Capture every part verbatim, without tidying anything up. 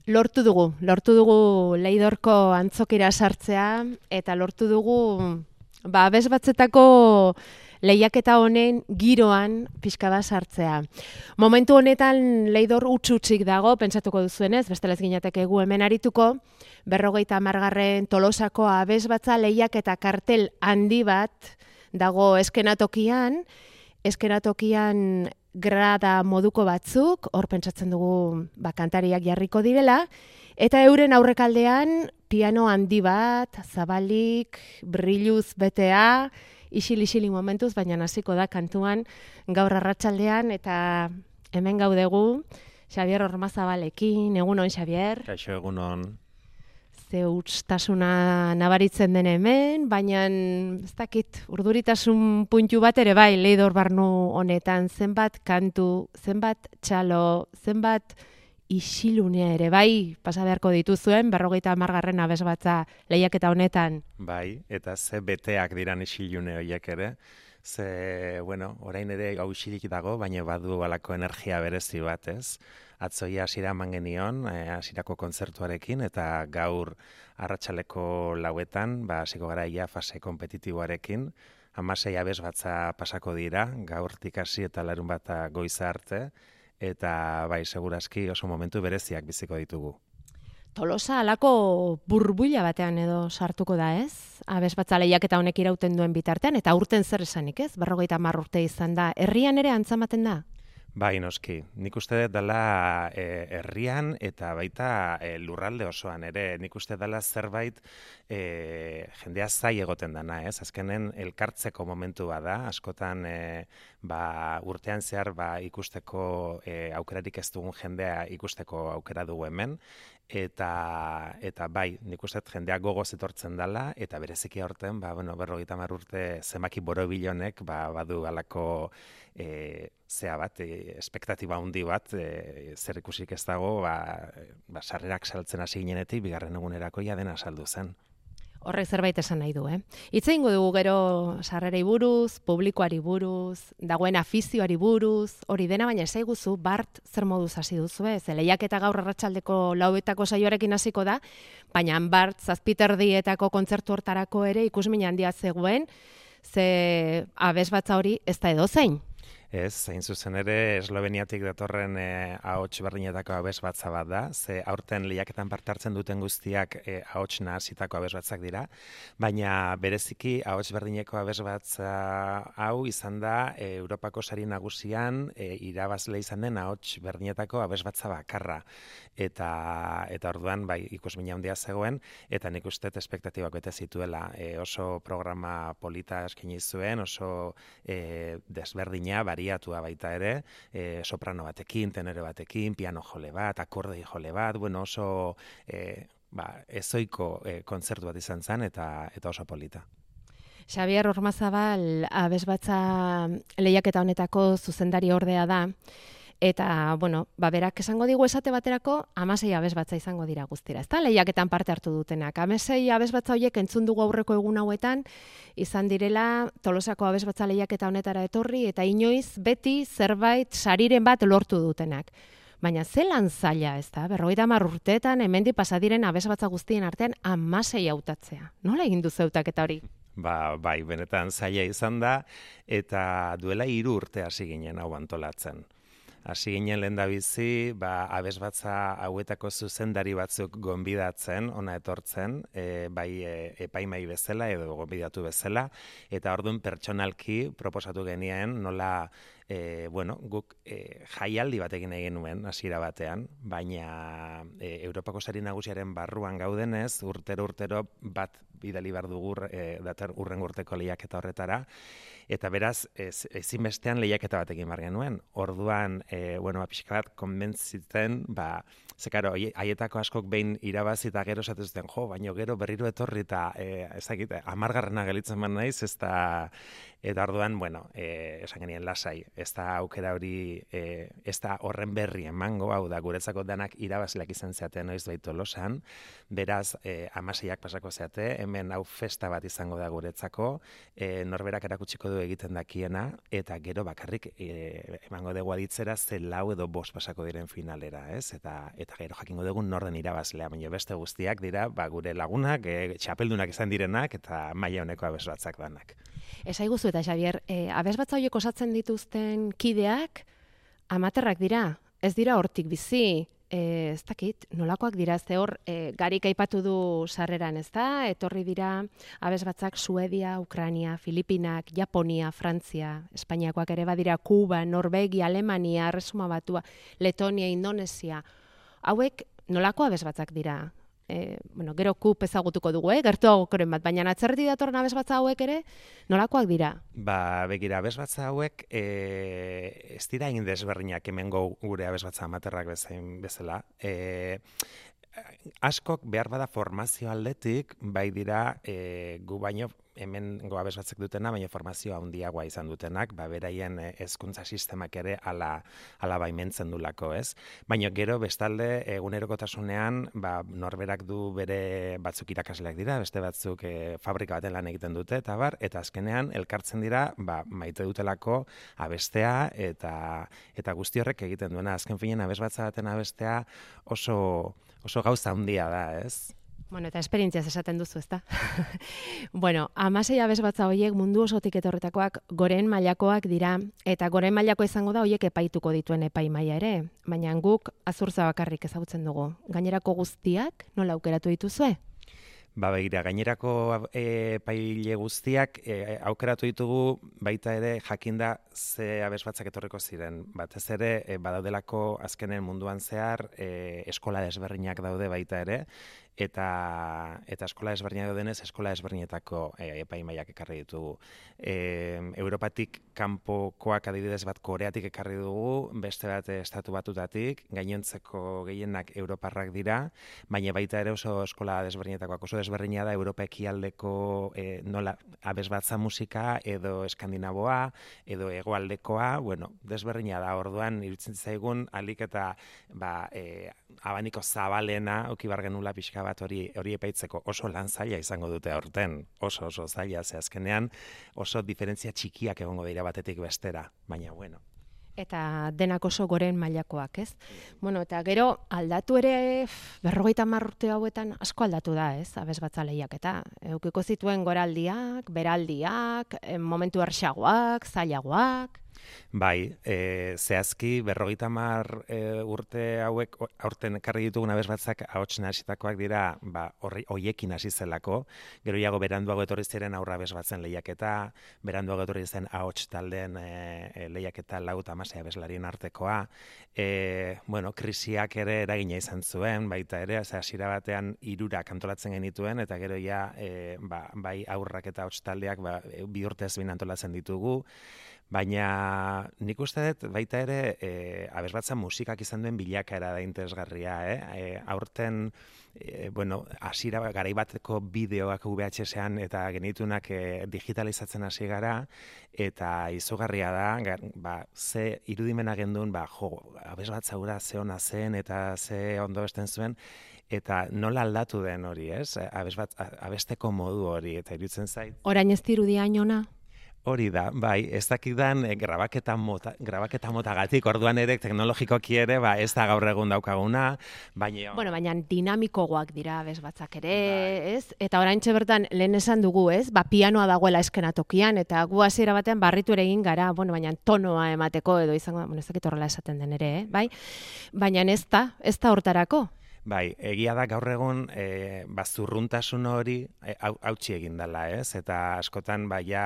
Lortu dugu, lortu dugu Leidorko antzokira sartzea eta lortu dugu ba abes batzetako lehiaketa honen giroan pixka bat sartzea. Momentu honetan Leidor utz-utzik dago, pentsatuko duzuenez, bestela ez ginateke gu hemen arituko, berrogeita hamargarren Tolosako abesbatza lehiaketa kartel handi bat dago eskenatokian, eskenatokian grada moduko batzuk, hor pentsatzen dugu ba, kantariak jarriko direla, eta euren aurrekaldean piano handi bat, zabalik, brilluz betea, isil-isili momentuz, baina hasiko da kantuan gaur arratsaldean eta hemen gaudegu Xabier Ormazabalekin. Egunon, Xabier. Kaixo, egunon. Ze hutstasuna nabaritzen den hemen, baina ez dakit urduritasun puntu bat ere bai Leidor barnu honetan, zenbat kantu, zenbat txalo, zenbat isilunea ere bai pasa beharko dituzuen berrogeita hamargarren abesbatza lehiaketa honetan. Bai, eta ze beteak diran isilune horiek ere. Ze, bueno, orain ere hau isilik dago, baina badu balako energia berezi bat, ez? Atzoia hasiera eman genion, hasierako kontzertuarekin, eta gaur arratsaleko lauetan, ba, hasiko gara ia fase kompetitiboarekin, hamasei abesbatza pasako dira, gaurtik hasi eta larun bata goiza arte, eta bai, segurazki oso momentu bereziak biziko ditugu. Tolosa halako burbuila batean edo sartuko da, ez? Abesbatza lehiaketa honek irauten duen bitartean, eta aurten zer esanik, ez? berrogeita hamar urte izan da. Herrian ere antzamaten da? Bai, noski. Nik uste dut dela e, herrian eta baita e, lurralde osoan ere. Nik uste dela zerbait e, jendea zai egoten dana, ez? Azkenen elkartzeko momentu bada, askotan e, ba, urtean zehar ba, ikusteko e, aukerarik ez dugun jendea ikusteko aukera dugu hemen. Eta, eta bai, nik uste jendeak gogoz etortzen dela, eta bereziki aurten, ba, bueno, berrogeita hamar urte zenbaki borobilonek ba, badu galako e, zea bat, e, espektatiba handi bat, e, zer ikusik ez dago, ba, ba, sarrerak saltzen hasi ginenetik, bigarren egunerako ja dena saldu zen. Horrek zerbait esan nahi du, eh? Hitz egingo dugu gero sarrerei buruz, publikoari buruz, dagoen afizioari buruz, hori dena, baina esaiguzu Bart zer moduz hasi duzu, ez? Lehiaketa gaur arratsaldeko lauetako saioarekin hasiko da, baina Bart zazpiterdietako kontzertu hortarako ere ikusmin handia zegoen, ze abesbatza hori ez da edozein. Ez, zein zuzen ere, Esloveniatik datorren e, ahots berdinetako abesbatza bat da, ze aurten lehiaketan parte hartzen duten guztiak e, ahots nahasitako abesbatzak dira, baina bereziki ahots berdineko abesbatza hau izan da e, Europako sari nagusian e, irabazle izan den ahots berdinetako abesbatza bakarra. Eta, eta orduan bai ikusmina handia zegoen, eta nik uste espektatibak bete zituela. E, oso programa polita eskaini zuen, oso e, desberdina, bariatua baita ere, e, soprano batekin, tenore batekin, piano jole bat, akordei jole bat, bueno, oso e, ba, ezoiko e, kontzertu bat izan zen, eta, eta oso polita. Xabier Ormazabal abesbatza lehiaketa honetako zuzendari ordea da, eta, bueno, ba, berak esango digu esate baterako hamasei abesbatza izango dira guztira. Ez da, lehiaketan parte hartu dutenak. hamasei abesbatza horiek entzun dugu aurreko egun hauetan, izan direla Tolosako abesbatza lehiaketa honetara etorri, eta inoiz beti zerbait sariren bat lortu dutenak. Baina zelan zaila, ez da, berrogeita hamar urteetan hemendik pasa diren abesbatza guztien artean hamasei hautatzea. Nola egin duzu hautaketa hori? Ba, bai, benetan zaila izan da, eta duela hiru urte hasi ginen hau antolatzen. Hasi ginen lehendabizi, ba, abesbatza hauetako zuzendari batzuk gonbidatzen, ona etortzen, e, bai e, epaimai bezala edo gonbidatu bezala, eta orduan pertsonalki proposatu genien nola, e, bueno, guk e, jaialdi batekin egin nuen hasiera batean, baina e, Europako sari nagusiaren barruan gaudenez, urtero-urtero bat bidali behar dugu e, dator urrengo urteko lehiaketa horretara, eta beraz, ez, ezinbestean lehiaketa batekin bar genuen. Orduan, e, bueno, pixka bat konbentzitzen, ba, ze karo, haietako askok behin irabazi eta gero esatu zuten, jo, baino gero berriro etorri eta e, ezakit, amargarrena gelitzen man naiz, ez da, eta orduan, bueno, e, esan genien lasai, ez da aukera hori, e, ez da horren berri emango, hau da, guretzako danak irabazleak izan zeate noiz bait Tolosan, beraz, e, amaseiak pasako zeate, hemen hau festa bat izango da guretzako, e, norberak erakutsiko du egiten dakiena, eta gero bakarrik e, emango dugu aditzera ze lau edo bost pasako diren finalera, ez? Eta, eta gero jakingo dugu norden irabazlea, baina beste guztiak dira, ba, gure lagunak, e, txapeldunak izan direnak, eta maila honeko abesbatzak danak. Esaiguzu eta Xabier, e, abesbatza horiek osatzen dituzten kideak amaterrak dira, ez dira hortik bizi, e, ez dakit, nolakoak dira, ze hor, e, Garik aipatu du sarreran, ez da, etorri dira abesbatzak Suedia, Ukrania, Filipinak, Japonia, Frantzia, Espainiakoak ere badira, Kuba, Norvegia, Alemania, Erresuma Batua, Letonia, Indonesia, hauek nolako abesbatzak dira? E, bueno, gero kup ezagutuko dugu, eh? Gertuagokoren bat, baina atzerriti datorren abesbatza hauek ere, nolakoak dira? Ba, begira, abesbatza hauek e, ez dira egin desberdinak hemengo gure abesbatza amaterrak bezain bezala. E, askok behar bada formazio aldetik, bai dira e, gu baino hemen go abesbatzek dutena, baina formazio handiagoa izan dutenak, ba, beraien hezkuntza sistemak ere ala, ala baimentzen dulako, ez? Baina gero bestalde egunerokotasunean ba, norberak du bere batzuk irakasleak dira, beste batzuk e, fabrika baten lan egiten dute, eta bar, eta azkenean elkartzen dira ba, maite dutelako abestea, eta, eta guzti horrek egiten duena. Azken finen abesbatza baten abestea oso, oso gauza handia da, ez? Bueno, eta esperientziaz esaten duzu, ezta? Bueno, hamasei abesbatza horiek mundu osotik etorretakoak goren mailakoak dira, eta goren mailako izango da horiek epaituko dituen epai maila ere, baina guk azurtza bakarrik ezagutzen dugu. Gainerako guztiak nola aukeratu dituzue? Ba, begira, gainerako e, paile guztiak e, aukeratu ditugu baita ere jakinda ze abesbatzak etorriko ziren. Batez ere, e, badaudelako azkenen munduan zehar e, eskola desberdinak daude baita ere, eta eta eskola desberdinak daudenez, eskola desberdinetako e, epaimaiak ekarri ditugu. E, Europatik kanpokoak adibidez bat Koreatik ekarri dugu, beste bat estatu batutatik, gainontzeko gehienak europarrak dira, baina baita ere oso eskola desberdinetakoak oso desberdina da Europa ekialdeko e, nola abesbatza musika edo eskandinaboa edo hegoaldekoa, bueno, desberdina da. Orduan iruditzen zaigun alik eta ba, e, abaniko zabalena auki bar genula pixka bat hori hori epaitzeko. Oso lan zaila izango dute aurten, oso oso zaila, ze azkenean oso diferentzia txikiak egongo dira batetik bestera, baina bueno. Eta denak oso goren mailakoak, ez? Bueno, eta gero aldatu ere berrogeita hamar urte hauetan asko aldatu da, ez? Abesbatza lehiaketa. Eukiko zituen goraldiak, beraldiak, momentu erxagoak, zailagoak. Bai, e, zehazki berrogeita hamar e, urte hauek aurten ekarri ditugun abesbatzak ahots nahasitakoak dira, ba, horri hoiekin hasi zelako. Gero iago beranduago etorri ziren aurra abesbatzen lehiaketa, beranduago etorri zen ahots taldeen e, lehiaketa lau eta hamasei abeslarien artekoa. E, bueno, krisiak ere eragina izan zuen, baita ere, hasiera batean hirurak antolatzen genituen, eta gero ja e, ba, bai aurrak eta ahots taldeak ba, bi urtez behin antolatzen ditugu. Baina nik uste dut baita ere e, abesbatza musikak izan duen bilakaera da interesgarria, eh? E, aurten, e, bueno, hasiera garai bateko bideoak U V H S-ean eta genitunak e, digitalizatzen hasi gara, eta izugarria da, ba, ze irudimena gendun, ba, jo, abesbatza hura ze ona zen eta ze ondo besten zuen, eta nola aldatu den hori, ez? Abesbat, abesteko modu hori, eta iruditzen zait. Orain ez dirudia inona? Hori da, bai, ez dakidan e, grabaketa mota, grabaketa motagatik, orduan ere teknologikoki ere, ba, ez da gaur egun daukaguna, baina... Bueno, baina dinamikoagoak dira abesbatzak ere, bai. Ez? Eta oraintxe bertan lehen esan dugu, ez? Ba, pianoa dagoela eskenatokian, eta gu hasiera batean barritu ere egin gara, bueno, baina tonoa emateko edo izango, bueno, ez dakit horrela esaten den ere, eh? Bai? Baina ez da, ez da hortarako. Bai, egia da gaur egun e, bazurruntasun hori hautsi egin dela, ez? Eta askotan baia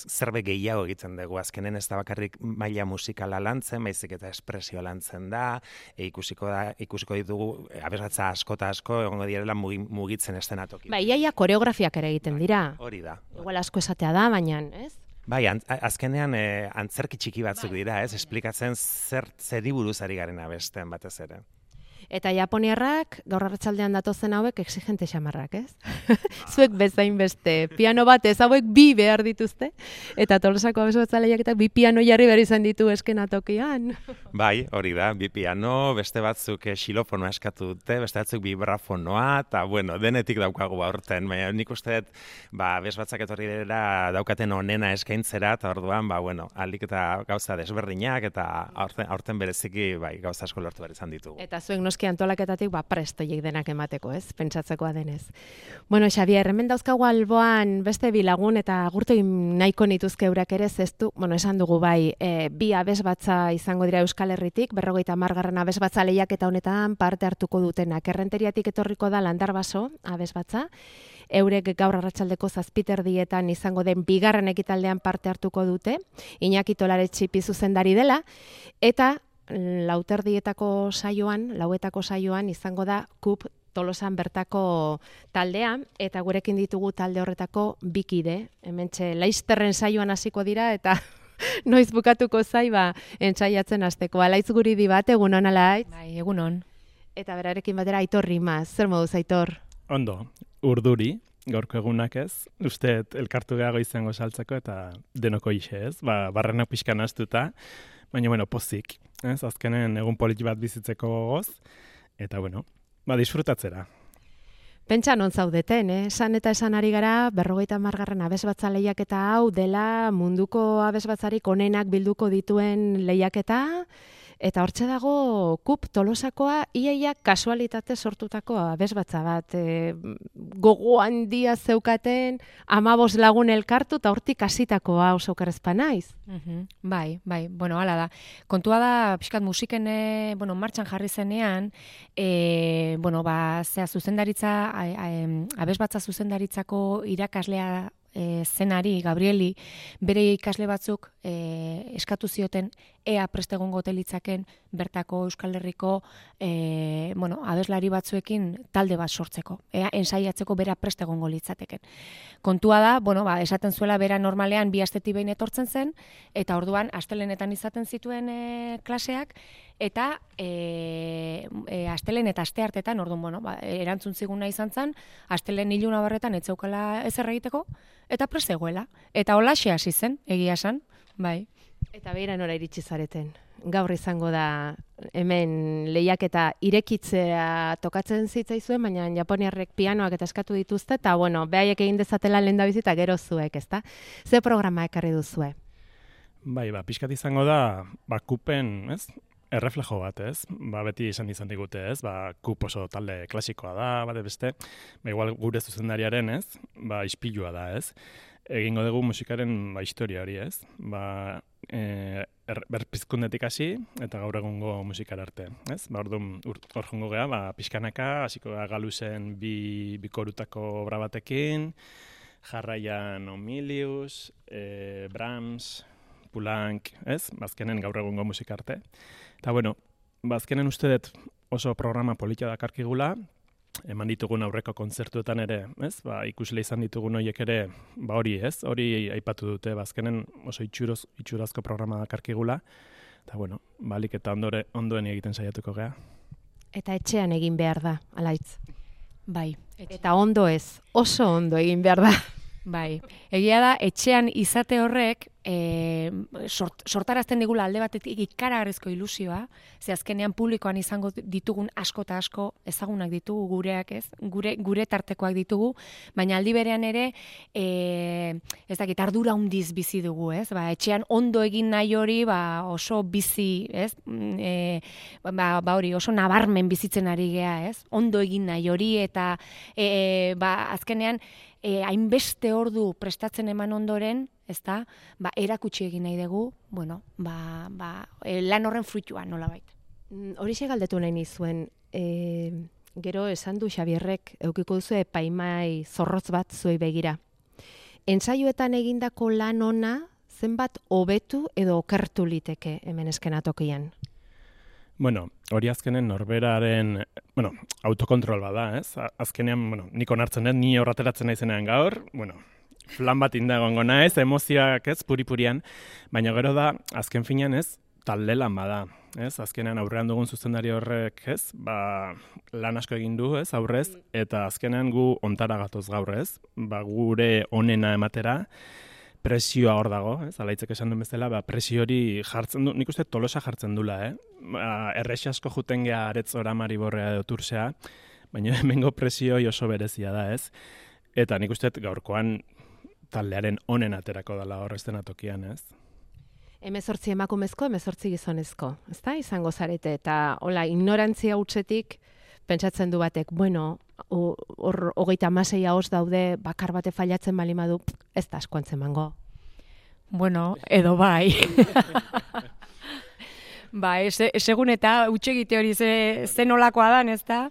zerbait gehiago egiten dugu. Azkenen ez da bakarrik maila musikala lantzen, baizik eta espresioa lantzen da, e, ikusiko da, ikusiko ditugu abesbatza asko eta asko egongo direla mugitzen eszenatoki. Bai, iaia koreografiak ere egiten dira. Hori da. Igual asko esatea da, baina, ez? Bai, azkenean e, antzerki txiki batzuk dira, ez? Esplikatzen zer zeri buruz ari garen abesten batez ere. Eta japoniarrak, gaur arratsaldean datozen hauek, exigente xamarrak, ez? Zuek bezain beste, piano bat ez hauek bi behar dituzte, eta Tolosako abesbatza lehiaketak bi piano jarri behar izan ditu eskenatokian. Bai, hori da, bi piano, beste batzuk xilofonoa eskatu dute, beste batzuk vibrafonoa, eta bueno, denetik daukagu aurten, baina nik uste dut, ba, abesbatzak etorri dira daukaten onena eskaintzera, eta orduan, ba, bueno, alik eta gauza desberdinak, eta aurten, aurten bereziki, bai, gauza asko lortu behar izan ditugu. Eta zuek noski antolaketatik, ba, prestoiek denak emateko, ez? Pentsatzekoa denez. Bueno, Xabier, hemen dauzkagu alboan beste bi lagun, eta agurtu nahiko nituzke eurak ere, zeztu, bueno, esan dugu bai, e, bi abesbatza izango dira Euskal Herritik, berrogeita hamargarren abesbatza lehiaketa honetan parte hartuko dutenak. Errenteriatik etorriko da Landarbaso abesbatza, eurek gaur arratsaldeko zazpiterdietan izango den bigarren ekitaldean parte hartuko dute, Iñaki Tolaretxi zuzendari dela, eta lauterdietako saioan, lauetako saioan izango da Kup Tolosan bertako taldea, eta gurekin ditugu talde horretako bikide. Hementxe Laizterren saioan hasiko dira, eta noiz bukatuko zai, ba, entsaiatzen hasteko. Alaitz guri di bat, egunon, Alaitz? Bai, egunon. Eta berarekin batera Aitor Rimaz. Zer moduz, Aitor? Ondo, urduri, gaurko egunak ez, uste elkartu gehago izango saltzeko eta denoko ixe ez, ba, barrenak pixkan astuta, baina, bueno, pozik, ez, azkenen egun politi bat bizitzeko gogoz, eta, bueno, ba, disfrutatzera. Pentsa non zaudeten, eh? Esan eta esan ari gara, berrogeita hamargarren abesbatza lehiaketa hau dela munduko abesbatzarik onenak bilduko dituen lehiaketa, eta hortxe dago Kup Tolosakoa iaia kasualitate sortutako abesbatza bat. E, gogo handia zeukaten, amabos lagun elkartu, eta hortik hasitakoa oso okerrezpa naiz. Uh-huh. Bai, bai, bueno, hala da. Kontua da, pixkat musiken, e, bueno, martxan jarri zenean, e, bueno, ba, zea zuzendaritza, a, a, abesbatza zuzendaritzako irakaslea E, zenari, Gabrieli, bere ikasle batzuk e, eskatu zioten ea prest egongo telitzaken bertako Euskal Herriko e, bueno, abeslari batzuekin talde bat sortzeko, ea ensaiatzeko bera prest egongo litzateken. Kontua da, bueno, ba, esaten zuela bera normalean bi astetik behin etortzen zen, eta orduan astelenetan izaten zituen e, klaseak, eta e, e, astelen eta aste hartetan, orduan, bueno, ba, erantzun ziguna izan zen, astelen iluna barretan etzeukala ezer egiteko, eta prest egoela. Eta holaxe hasi zen, egia esan, bai. Eta beira nora iritsi zareten. Gaur izango da hemen lehiaketa irekitzea tokatzen zitzaizuen, baina japoniarrek pianoak eta eskatu dituzte, eta bueno, behaiek egin dezatela lehendabizi eta gero zuek, ezta? Ze programa ekarri duzue? Bai, ba, pixkat izango da, ba, Kupen, ez? Erreflejo bat, ez? Ba, beti izan izan digute, ez? Ba, Kup oso talde klasikoa da, bate beste, ba, igual gure zuzendariaren, ez? Ba, ispilua da, ez? Egingo dugu musikaren ba, historia hori, ez? Ba, e, er, berpizkundetik hasi eta gaur egungo musikara arte, ez? Ba, orduan, hor jongo geha, ba, pixkanaka, hasiko da Galusen bi bikorutako obra batekin, jarraian Omilius, e, Brahms, Poulenc, ez? Bazkenen gaur egungo musika arte. Eta, bueno, bazkenen uste dut oso programa politia dakarkigula, eman ditugun aurreko kontzertuetan ere, ez? Ba, ikusle izan ditugun horiek ere, ba hori, ez? Hori aipatu dute, bazkenen oso itxuroz, itxurazko programa dakarkigula. Eta, bueno, balik eta ondore, ondoen egiten saiatuko gea. Eta etxean egin behar da, Alaitz. Bai. Eta ondo ez, oso ondo egin behar da. Bai, egia da, etxean izate horrek e, sort, sortarazten digula alde batetik ikaragarrizko ilusioa, ze azkenean publikoan izango ditugun asko eta asko ezagunak ditugu gureak, ez? Gure, gure tartekoak ditugu, baina aldi berean ere, e, ez dakit, ardura hundiz bizi dugu, ez? Ba, etxean ondo egin nahi hori, ba, oso bizi, ez? E, ba, ba hori, oso nabarmen bizitzen ari gea, ez? Ondo egin nahi hori, eta e, ba, azkenean, E, hainbeste ordu prestatzen eman ondoren, ezta, ba, erakutsi egin nahi dugu, bueno, ba, ba, e, lan horren fruitua, nolabait. Horixe galdetu nahi nizuen, e, gero esan du Xabierrek, eukiko duzu epaimai zorrotz bat zuei begira. Entsaioetan egindako lan ona, zenbat hobetu edo okertu liteke hemen eskenatokian? Bueno, hori azkenen norberaren, bueno, autokontrol bada, ez? Azkenean, bueno, nik onartzen dut, ni horrateratzen naizenean gaur, bueno, flan bat indagongo naiz, emozioak ez, puri-purian, baina gero da, azken finean ez, talde lan bada. ez? Azkenean aurrean dugun zuzendari horrek, ez? Ba, lan asko egin du, ez? Aurrez, eta azkenean gu ontara gatoz gaur, ez? Ba, gure onena ematera, presioa hor dago, ez? Alaitzek esan duen bezala, ba, presio hori jartzen du, nik uste Tolosa jartzen dula, eh? Ba, errexi asko juten geha Aretzora, Mariborrea edo Tursea, baina hemengo presio oso berezia da, ez? Eta nik uste gaurkoan taldearen onen aterako dela hor eszenatokian, ez? Hemezortzi emakumezko, hemezortzi gizonezko, ezta? Izango zarete, eta hola, ignorantzia hutsetik pentsatzen du batek, bueno, hor hogeita hamasei ahoz daude, bakar bate failatzen bali madu, ez da asko antzemango. Bueno, edo bai. Bai, segun eta utxegite hori ze, ze nolakoa dan, ez da?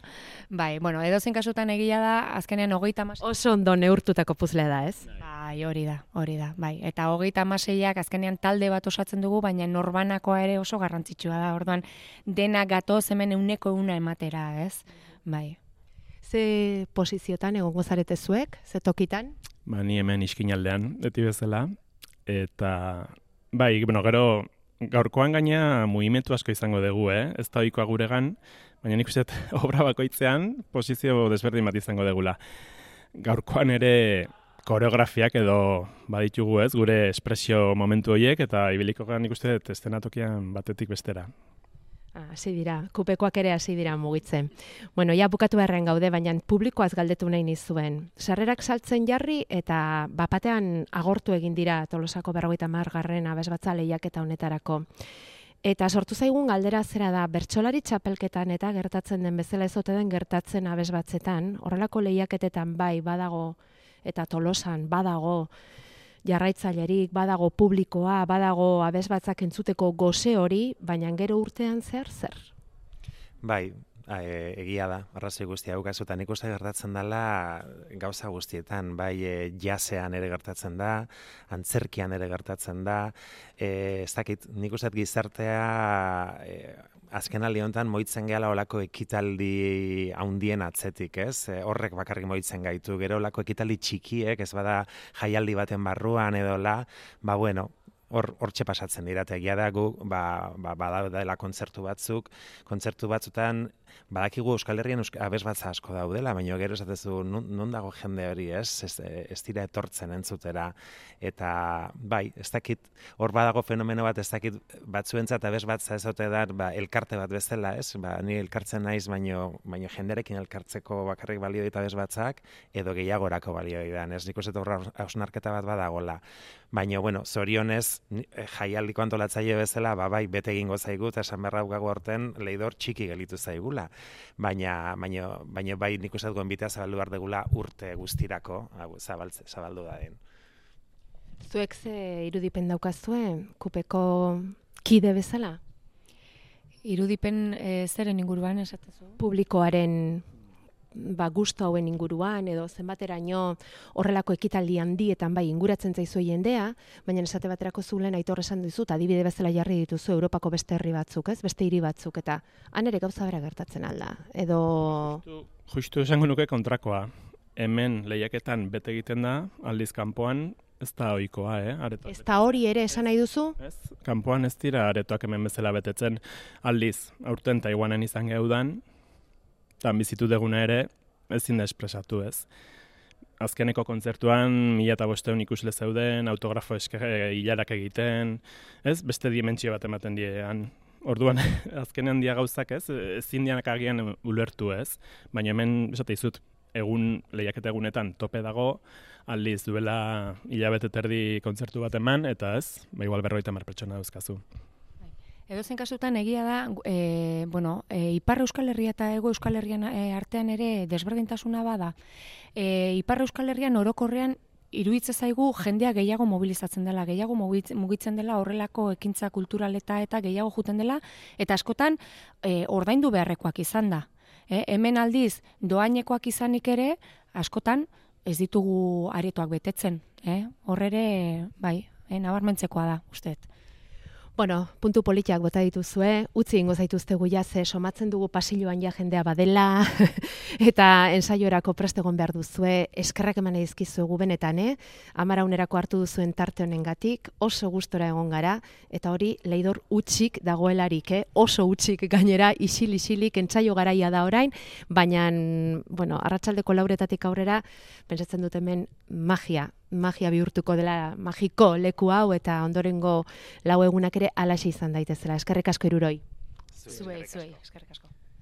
Bai, bueno, edozein kasutan egia da, azkenean hogeita hamasei... Oso ondo neurtutako puzlea da, ez? Bai, hori da, hori da, bai. Eta hogeita hamaseiak azkenean talde bat osatzen dugu, baina norbanakoa ere oso garrantzitsua da. Orduan, dena gatoz hemen euneko euna ematera, ez? Bai. Ze posiziotan egongo zarete zuek, ze tokitan? Ba, ni hemen iskinaldean, beti bezala, eta, bai, bueno, gero... Gaurkoan gaina mugimendu asko izango dugu, eh? Ez da ohikoa guregan, baina nik uste obra bakoitzean posizio desberdin bat izango degula. Gaurkoan ere koreografiak edo baditugu, ez? Gure espresio momentu horiek eta ibiliko gara nik uste eszenatokian batetik bestera. Hasi dira, kupekoak ere hasi dira mugitzen. Bueno, ja bukatu beharrean gaude, baina publikoaz galdetu nahi nizuen. Sarrerak saltzen jarri eta bapatean agortu egin dira Tolosako berrogeita hamargarren abesbatza lehiaketa honetarako. Eta sortu zaigun galdera zera da, bertsolari txapelketan eta gertatzen den bezala ez ote den gertatzen abesbatzetan, horrelako lehiaketetan bai badago eta Tolosan badago jarraitzailerik, badago publikoa, badago abesbatzak entzuteko goze hori, baina gero urtean zer zer? Bai, e, egia da, arrazoi guztia haukazutan ikuste gertatzen dela gauza guztietan, bai e, jazean ere gertatzen da, antzerkian ere gertatzen da, e, ez dakit, nik uste gizartea... E, azken aldi honetan moitzen gehala olako ekitaldi haundien atzetik, ez? E, horrek bakarrik moitzen gaitu, gero olako ekitaldi txikiek, ez bada jaialdi baten barruan edola, ba bueno, hor hortxe pasatzen dira, eta egia da gu, ba, ba, badaudela kontzertu batzuk, kontzertu batzutan, badakigu Euskal Herrian abesbatza asko daudela, baina gero esatezu, non dago jende hori, ez? Ez, ez dira etortzen entzutera, eta bai, ez dakit, hor badago fenomeno bat, ez dakit batzuentzat abesbatza ez ote da, ba, elkarte bat bezala, ez? Ba, ni elkartzen naiz, baino, baino jenderekin elkartzeko bakarrik balio dit abesbatzak, edo gehiagorako balio ditan, ez? Nik uste horra hausnarketa bat badagola. Baina, bueno, zorionez, jaialdiko antolatzaile bezala, ba, bai, bete egingo zaigu, eta esan berra gago horten, leidor txiki gelitu zaigula. Baina, baina, baina bai nik uste duen bitea zabaldu behar degula urte guztirako, zabaltze, zabaldu da den. Zuek ze irudipen daukazue, kupeko kide bezala? Irudipen e, zeren inguruan esatezu? Publikoaren ba, gusto hauen inguruan, edo zenbateraino horrelako ekitaldi handietan bai inguratzen zaizu jendea, baina esate baterako zulen Aitor esan dizut, adibide bezala jarri dituzu Europako beste herri batzuk, ez? Beste hiri batzuk, eta han ere gauza bera gertatzen alda, edo... Justu, justu esango nuke kontrakoa. Hemen lehiaketan bete egiten da, aldiz kanpoan, ez da ohikoa, eh? Aretoak. Ez da hori ere esan nahi duzu? Ez, kanpoan ez dira aretoak hemen bezala betetzen, aldiz, aurten Taiwanen izan geudan, tan bizitu deguna ere, ezin da espresatu, ez. Azkeneko kontzertuan, mila eta bosteun ikusle zeuden, autografo eske hilarak egiten, ez, beste dimentsio bat ematen diean. Orduan, azkenean dia gauzak, ez, ezin dianak agian ulertu, ez. Baina hemen, esate izut, egun lehiaketa egunetan tope dago, aldiz duela hilabete terdi kontzertu bat eman, eta ez, ba igual berrogeita hamar pertsona dauzkazu. Edozein kasutan egia da, e, bueno, e, Ipar Euskal Herria eta Hego Euskal Herrian e, artean ere desberdintasuna bada. E, Ipar Euskal Herrian orokorrean iruditzen zaigu jendea gehiago mobilizatzen dela, gehiago mugitzen dela horrelako ekintza kulturaleta eta gehiago juten dela, eta askotan e, ordaindu beharrekoak izan da. E, hemen aldiz doainekoak izanik ere, askotan ez ditugu aretoak betetzen. Eh? Horrere, bai, e, nabarmentzekoa da, usteet. Bueno, puntu politiak bota dituzue, utzi ingo zaituztegu ja, ze somatzen dugu pasilloan ja jendea badela, eta ensaiorako prest egon behar duzue, eskerrak eman dizkizuegu benetan, eh? Amaraunerako hartu duzuen tarte honengatik, oso gustora egon gara, eta hori Leidor utxik dagoelarik, eh? Oso utxik gainera, isil-isilik, entsaio garaia da orain, baina, bueno, arratsaldeko lauretatik aurrera, pentsatzen dut hemen magia, magia bihurtuko dela, magiko leku hau, eta ondorengo lau egunak ere alaxe izan daitezela. Eskerrik asko Hiruroi. Zuei, zuei, eskerrik asko.